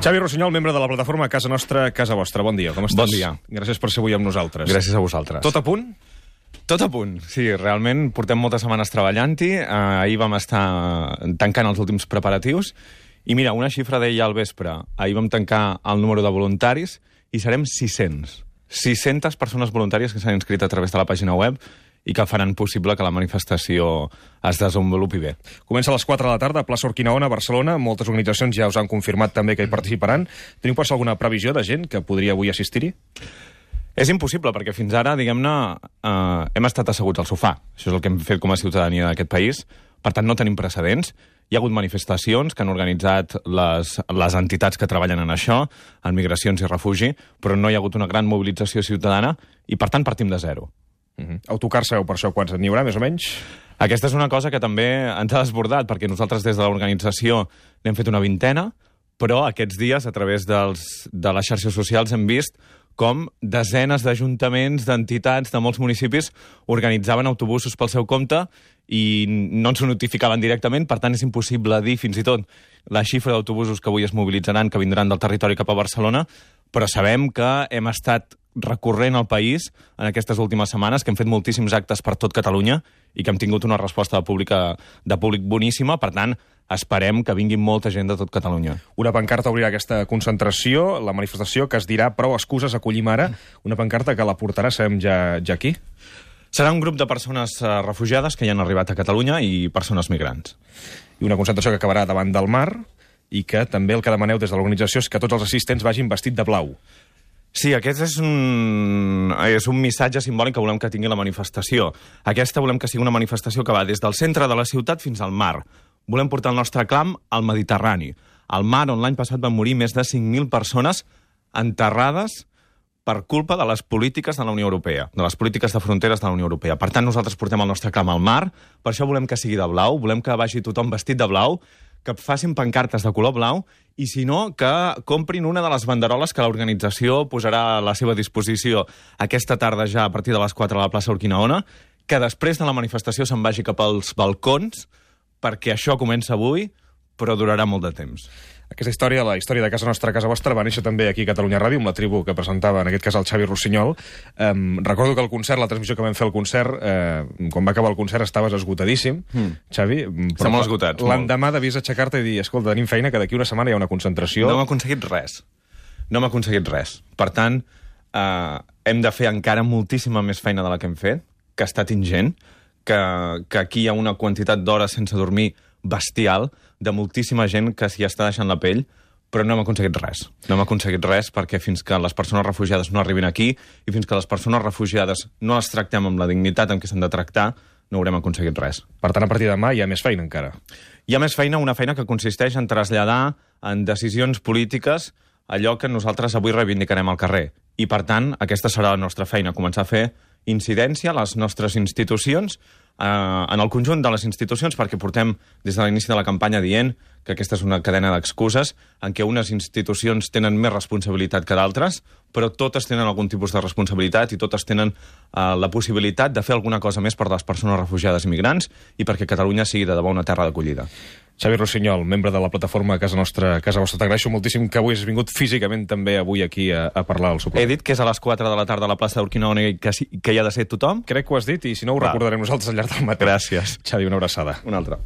Xavi Rossinyol, membre de la plataforma Casa Nostra, Casa Vostra. Bon dia, com estàs? Bon dia. Gràcies per ser avui amb nosaltres. Gràcies a vosaltres. Tot a punt? Tot a punt, sí, realment portem moltes setmanes treballant-hi, ahir vam estar tancant els últims preparatius, i mira, una xifra deia al vespre, ahir vam tancar el número de voluntaris i serem 600. 600 persones voluntàries que s'han inscrit a través de la pàgina web i que faran possible que la manifestació es desenvolupi bé. Comença a les 4 de la tarda a plaça Urquinaona, Barcelona. Moltes organitzacions ja us han confirmat també que hi participaran. Teniu pas alguna previsió de gent que podria avui assistir-hi? És impossible, perquè fins ara, diguem-ne, hem estat asseguts al sofà. Això és el que hem fet com a ciutadania d'aquest país. Per tant, no tenim precedents. Hi ha hagut manifestacions que han organitzat les entitats que treballen en això, en migracions i refugi, però no hi ha hagut una gran mobilització ciutadana i, per tant, partim de zero. Autocar sabeu per això quants n'hi haurà, més o menys? Aquesta és una cosa que també ens ha desbordat, perquè nosaltres des de l'organització n'hem fet una vintena, però aquests dies, a través de les xarxes socials, hem vist com desenes d'ajuntaments, d'entitats, de molts municipis organitzaven autobusos pel seu compte i no ens ho notificaven directament, per tant és impossible dir fins i tot la xifra d'autobusos que avui es mobilitzaran, que vindran del territori cap a Barcelona, però sabem que hem estat recorrent al país en aquestes últimes setmanes, que hem fet moltíssims actes per tot Catalunya i que hem tingut una resposta de públic boníssima. Per tant, esperem que vingui molta gent de tot Catalunya. Una pancarta obrirà aquesta concentració, la manifestació que es dirà prou excuses, acollim ara. Una pancarta que la portarà, sabem ja aquí? Serà un grup de persones refugiades que ja han arribat a Catalunya i persones migrants. I una concentració que acabarà davant del mar i que també el que demaneu des de l'organització és que tots els assistents vagin vestit de blau. Sí, aquest és un missatge simbòlic que volem que tingui la manifestació. Aquesta volem que sigui una manifestació que va des del centre de la ciutat fins al mar. Volem portar el nostre clam al Mediterrani, al mar on l'any passat van morir més de 5.000 persones enterrades per culpa de les polítiques de la Unió Europea, de les polítiques de fronteres de la Unió Europea. Per tant, nosaltres portem el nostre clam al mar, per això volem que sigui de blau, volem que vagi tothom vestit de blau, que facin pancartes de color blau i, si no, que comprin una de les banderoles que l'organització posarà a la seva disposició aquesta tarda ja a partir de les 4 a la plaça Urquinaona, que després de la manifestació se'n vagi cap als balcons, perquè això comença avui, però durarà molt de temps. Aquesta història, la història de Casa Nostra, Casa Vostra, va néixer també aquí a Catalunya Ràdio, amb la tribu que presentava, en aquest cas, el Xavi Rossinyol. Recordo que el concert, la transmissió que vam fer al concert, quan va acabar el concert estaves esgotadíssim, Xavi. Estem molt esgotats. L'endemà devies aixecar-te i dir, escolta, tenim feina, que d'aquí una setmana hi ha una concentració. No hem aconseguit res. No hem aconseguit res. Per tant, hem de fer encara moltíssima més feina de la que hem fet, que ha estat ingent, que aquí hi ha una quantitat d'hores sense dormir bestial, de moltíssima gent que s'hi està deixant la pell, però no hem aconseguit res. No hem aconseguit res perquè fins que les persones refugiades no arribin aquí i fins que les persones refugiades no les tractem amb la dignitat en què s'han de tractar, no haurem aconseguit res. Per tant, a partir de demà hi ha més feina encara. Hi ha més feina, una feina que consisteix en traslladar en decisions polítiques allò que nosaltres avui reivindicarem al carrer. I, per tant, aquesta serà la nostra feina, començar a fer incidència a les nostres institucions, en el conjunt de les institucions, perquè portem des de l'inici de la campanya dient que aquesta és una cadena d'excuses en què unes institucions tenen més responsabilitat que d'altres, però totes tenen algun tipus de responsabilitat i totes tenen la possibilitat de fer alguna cosa més per les persones refugiades i migrants i perquè Catalunya sigui de debò una terra d'acollida. Xavi Rossinyol, membre de la plataforma Casa Nostra, Casa Vostra. T'agraeixo moltíssim que avui has vingut físicament també avui aquí a parlar al suplement. He dit que és a les 4 de la tarda a la plaça d'Urquinaona i que hi ha de ser tothom? Crec que ho has dit i si no ho recordarem nosaltres al llarg del matí. Gràcies. Xavi, una abraçada. Una altra.